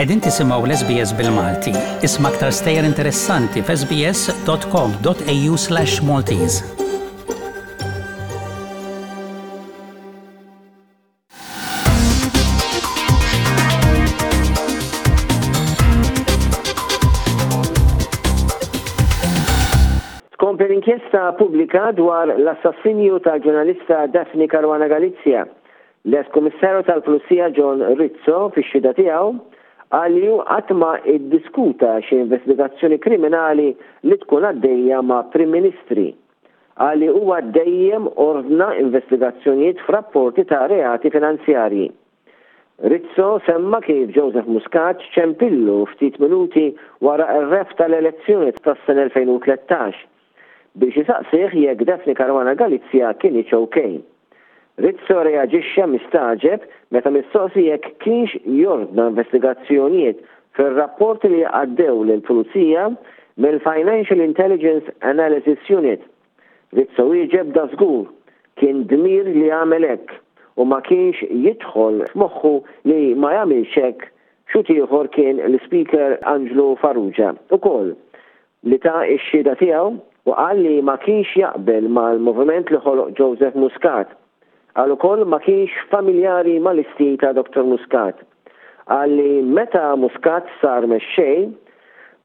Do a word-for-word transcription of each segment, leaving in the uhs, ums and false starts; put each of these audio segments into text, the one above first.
Qegħdin tisimgħu l-S B S bil-Malti. Isma' aktar stejjer interessanti f'S B S dot com dot A U slash Maltese. Tkompli l-inkjesta pubblika dwar l-assassinju tal-ġurnalista Daphne Caruana Galizia. L-ex kummissarju tal-Pulizija John Rizzo fix-xhieda tiegħu qal li hu qatt ma iddiskuta xi investigazzjoni kriminali li tkun għaddejja ma' Prim Ministri. Qal li huwa dejjem ordna investigazzjonijiet f'rapporti ta' reati finanzjarji. Rizzo semma kif Joseph Muscat ċempillu ftit minuti wara r-rebħ tal-elezzjoni tas-sena elfejn u tlettax biex jisaqsih jekk Daphne Caruana Galizia kinitx okay. Rizzo reaġixxa mistagħġeb meta mistoqsi jekk kienx jordna investigazzjonijiet fir-rapporti li għaddew lill-Pulizija mill-Financial Intelligence Analysis Unit. Rizzo wieġeb dażgur kien dmir li jagħmel hekk u ma kienx jidħol f'moħħu li ma jagħmilx hekk. Xhud ieħor kien l-Speaker Angelo Farrugia ukoll, li ta x-xhieda tiegħu u qal li ma kienx jaqbel mal-moviment li ħoloq Joseph Muscat. Qal ukoll ma kienx familjari mal-istil ta' Doktor Muscat. Qal li meta Muscat sar mexxej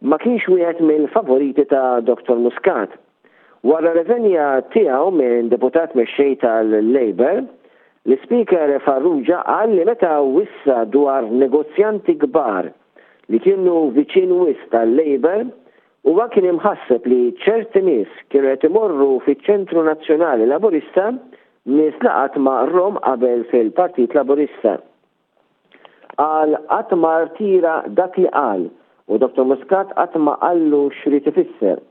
ma kienx wieħed mill-favoriti ta' Doktor Muscat. Wara reżenja tiegħu minn deputat mexxej tal-Labour, l-Speaker Farrugia qal li meta wissa dwar negozjanti kbar li kienu viċin wisq tal-Labour, huwa kien imħasseb li ċerti nies kienu qed imorru fiċ-Ċentru Nazzjonali Laburista, nies li qatt ma rahom qabel fil-Partit Laburista. Qal qatt ma rtira dak li qal u Doktor Muscat qatt ma qallu x'rid ifisser.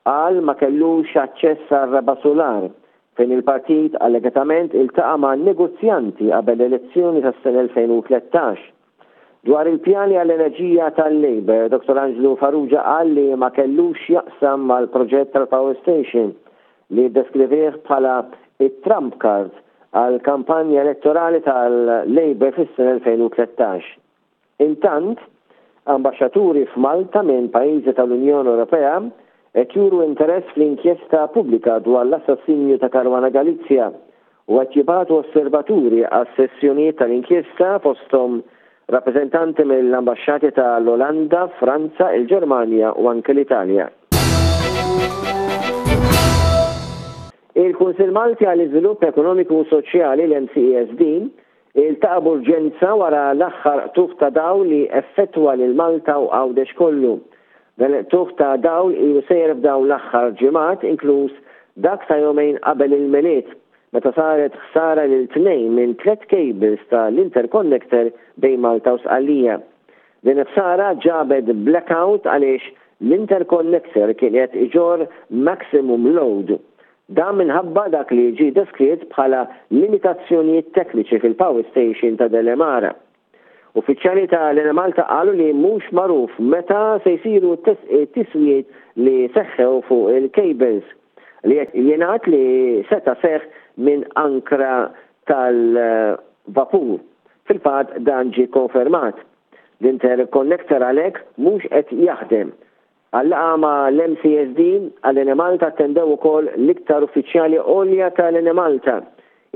Qal ma kellux aċċess għar-raba' sular fejn il-partit allegatament iltaqa' ma' negozjanti qabel l-elezzjoni tas-sena elfejn u tlettax. Dwar il-pjani għall-enerġija tal-Labour, Doktor Angelo Farrugia qal li ma kellux jaqsam mal-proġett tal-Power Station, li deskrivih bħala it-Trump card għal kampanja elettorali tal-Labour fis-sena elfejn u tlettax. Intant, ambaxxaturi f'Malta minn pajjiżi tal-Unjoni Ewropea qed juru interess fl-inkjesta pubblika dwar l-assassinju ta' Caruana Galizia u qed jibagħtu osservaturi għas sessjonijiet tal-inkjesta, fosthom rappresentanti mill-ambasċati tal-Olanda, Franza, il-Ġermanja u anke l-Italja. Il-Kunsil Malti għall-Iżvilupp Ekonomiku u Soċjali, l-M C E S D, iltaqa' b'urġenza wara l-aħħar qtugħ ta' dawl li effettwa lil Malta u Għawdex kollu. Dan il-qtugħ ta' dawl ilu sejjer f'dawn l-aħħar ġimgħat, inkluż dak ta' jumejn qabel il-Milied, meta saret ħsara lil tnejn minn tliet cables tal-interconnector bejn Malta u Sqallija. Din ħsara ġabet blackout għaliex l-interconnector kien qed iġorr maximum load. Dan minħabba dak li ġi deskritt bħala limitazzjonijiet tekniċi fil-power station ta' Delimara. Uffiċjali ta' l-Enemalta qalu li mhux magħruf meta se jsiru tiswijiet li seħħew fuq il-cables, li jingħad li seta seħ minn ankra tal-vapur. Fil-fatt dan ġi konfermat. L-interconnector għalhekk mhux qed jaħdem. Għal-laqgħa ma' l-M C E S D għall-Enemalta attendew ukoll l-iktar uffiċjali għolja tal-Enemalta,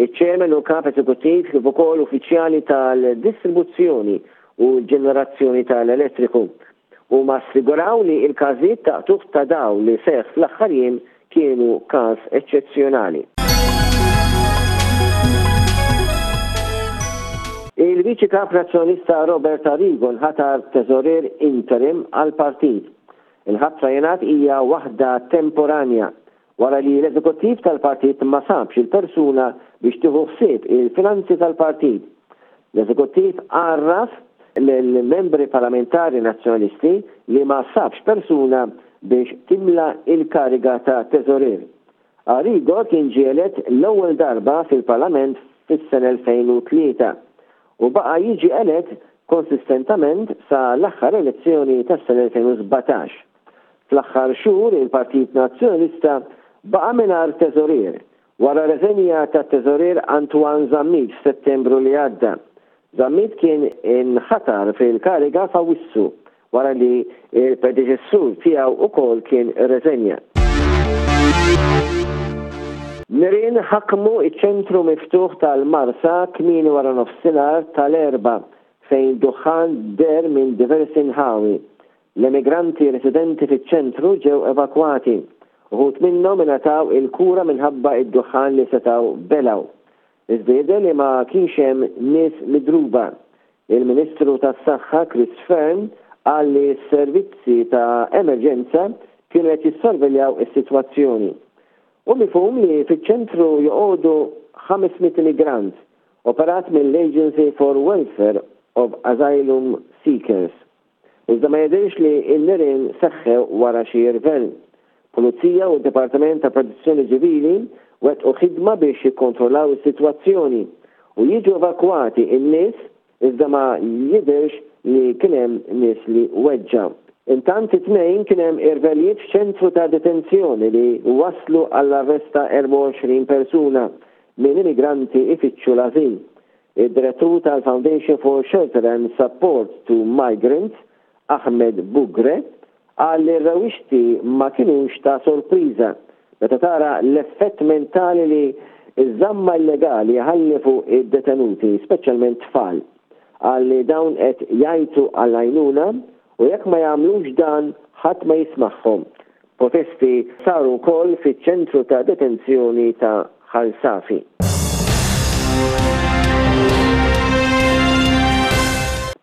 iċ-chairman u kap eżekuttiv, kif ukoll uffiċjali tal-distribuzzjoni u l-ġenerazzjoni tal-elettriku. U ma assiguraw li il-każijiet ta' qtugħ ta' dawl li seħ fl-aħħar jiem kienu każ eċċezzjonali. Il-Viċi Kap Nazzjonalista Robert Arrigo nħatar teżorier interim għal-partit. Il-ħatra jingħad hija waħda temporanja wara li l-eżekuttiv tal-partit ma sabx il-persuna biex tieħu ħsieb il-finanzi tal-partit. L-eżekuttiv għarraf l-membri parlamentari nazzjonalisti li ma sabx persuna biex timla il-kariga ta' teżorier. Arrigo kien ġie elett l-ewwel darba fil-Parlament fis-sena elfejn u tlieta u baqa' jiġi elett konsistentament sa l-aħħar elezzjoni tas-sena elfejn u sbatax. Fl-aħħar xhur il-Partit Nazzjonalista baqa' mingħajr teżorier wara reżenja ta' teżorier Antoine Zammit f'Settembru li għadda. Zammit kien inħatar fil-kariga f'Awwissu wara li il-predeċessur tiegħu ukoll kien irreżenja. Nirien ħakmu iċ-ċentru miftuħ tal-Marsa kmieni wara nofsinhar tal-Erbgħa, fejn duħan deher minn diversi nħawi. L-emigranti residenti fiċ-ċentru ġew evakwati. Uħud minnhom ingħataw il-kura minħabba id-duħan li setgħu belgħu. Iżda jidher li ma kienx hemm nies midruba. Il-Ministru tas-Saħħa Chris Fearne qal li s-servizzi ta' emerġenza kienu qed jissorveljaw is-sitwazzjoni. U mifhum li fiċ-ċentru joqogħdu ħames mitt immigrant, operat mill-Agency for Welfare of Asylum Seekers. Iżda ma jidhirx li n-nirien seħħew wara xi irvell. Pulizija u d-Dipartiment ta' Protezzjoni Ċivili wettqu ħidma biex jikkontrollaw is-sitwazzjoni u jiġu evakwati n-nies, iżda ma jidhirx li kien hemm nies li weġġaw. Intant, it-Tnejn kien hemm irvellijiet f'ċentru ta' detenzjoni li waslu għall-arrest ta' erbgħa u għoxrin persuna minn immigranti ifittxu l-azil. Id-direttur tal-Foundation for Shelter and Support to Migrants, Ahmed Bugre, qal li r-rewixti ma kienux ta' sorpriża meta tara l-effett mentali li iż-żamma illegali ħalli fuq id-detenuti, speċjalment tfal. Qal li dawn qed jgħajtu għall-għajnuna u jekk ma jagħmlux dan, ħadd ma jismagħhom. Protesti saru wkoll fiċ-ċentru ta' detenzjoni ta' Ħal Safi.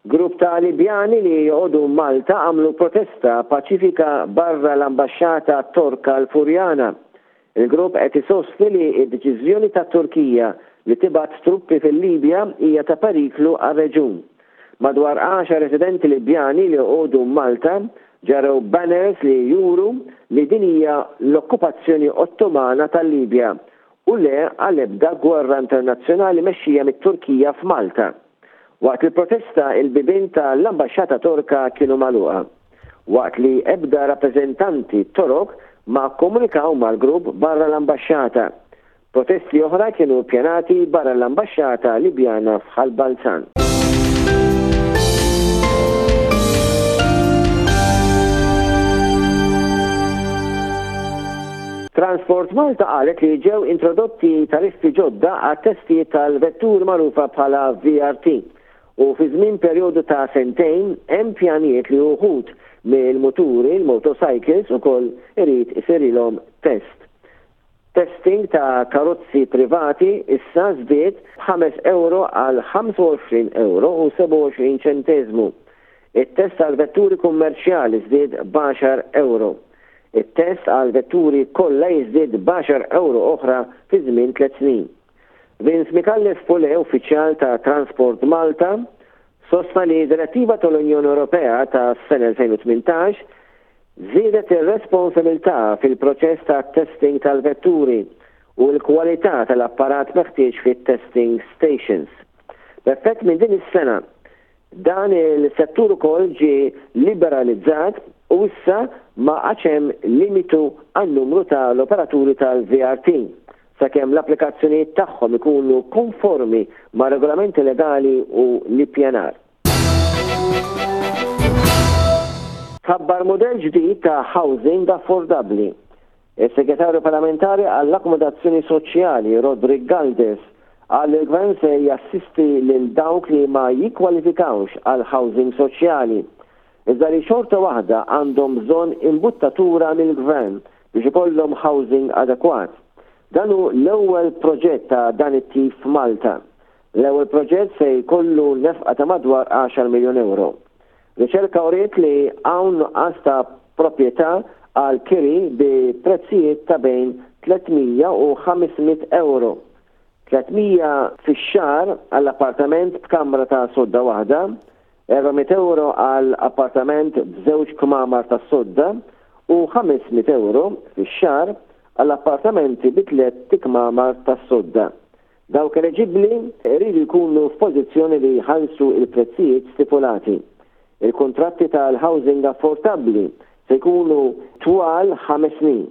Grupp ta' Libjani li joqogħdu Malta għamlu protesta paċifika barra l-ambaxxata Torka l-Furjana. Il-grupp qed isostni li d-deċiżjoni ta' Turkija li tibgħat truppi fil-Libja hija ta' periklu għar-reġun. Madwar għaxar residenti Libjani li joqogħdu Malta ġarrew banners li juru li din hija l-okkupazzjoni Ottomana tal-Libja u le għal ebda gwerra internazzjonali mexxija mit-Turkija f'Malta. Waqt il-protesta, il-bibien tal-ambaxxata Torka kienu magħluqa, waqt li ebda rappreżentanti Torok ma komunikaw mal-grupp barra l-ambaxxata. Protesti oħra kienu pjanati barra l-ambaxxata Libjana f'Ħal Balzan. Transport Malta qalet li ġew introdotti tariffi ġodda għat testijiet tal-vetturi magħrufa bħala V R T u fi żmien perjodu ta' sentejn hemm pjanijiet li uħud mill-muturi, il-motorcycles, ukoll irid isirilhom test. Testing ta' karozzi privati issa żdied ħames euro għal ħamsa u għoxrin euro u sebgħa u għoxrin ċentesmu. it-test għal vetturi kummerċjali żdied b'għaxar euro. It-test għal vetturi kollha jiżdied b'għaxar euro oħra fi żmien tliet snin. Vince Micallef Pule, uffiċjal ta' Transport Malta, sostna li direttiva tal-Unjoni Ewropea ta' sena elfejn u tmintax żiedet ir-responsabilità fil-proċess ta' testing tal-vetturi u l-kwalità tal-apparat meħtieġ fit-testing stations. B'effett minn din is-sena, dan il-settur ukoll ġie liberalizzat u issa ma hemm limitu għan-numru tal-operaturi tal-V R T sakemm l-applikazzjonijiet tagħhom ikunu konformi ma' regolamenti legali u l-ippjanar. Tħabbar modell ġdid ta' housing affordabbli. Il-Segretarju Parlamentari għall-Akkomodazzjoni Soċjali Roderick Galdes qal li l-Gvern se jassisti lil dawk li ma jikkwalifikawx għal housing soċjali, iżda li xorta waħda għandhom bżonn imbuttatura mill-Gvern biex ikollhom housing adekwat. Dan hu l-ewwel proġett ta' dan it-tip f'Malta. L-ewwel proġett se jkollu nefqa ta' madwar għaxar miljon euro. Riċerka uriet li hawn nuqqas ta' proprjetà għal kiri bi prezzijiet ta' bejn tliet mija u ħames mitt euro. tliet mija fix-xahar għall appartament b'kamra ta' sodda waħda, erba' mitt euro għal appartament b'żewġ kmamar ta' sodda u ħames mitt euro fix-xahar għall appartamenti bi tliet ikmamar ta' sodda. Dawk eliġibbli jridu jkunu f'pożizzjoni li jħallsu il-prezzijiet stipulati. Il-kontratti tal-housing affordabbli se jkunu twal ħames snin.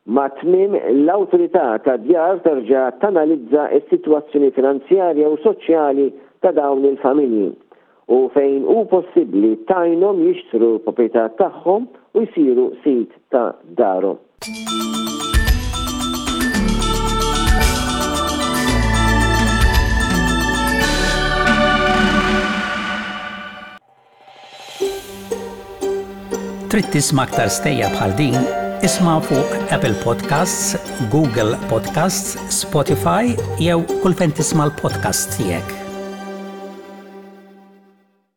Ma tmiem l-awtorità ta' djar terġa' tanalizza s-sitwazzjoni finanzjarja u soċjali ta' dawn il-familji u fejn hu possibbli tgħinhom jixtru l-proprjetà tagħhom u jsiru sid ta' darhom. Trid tisma' aktar stejjer bħal din? Isma' fuq Apple Podcasts, Google Podcasts, Spotify jew kull fejn tisma' l-podcasts tiegħek.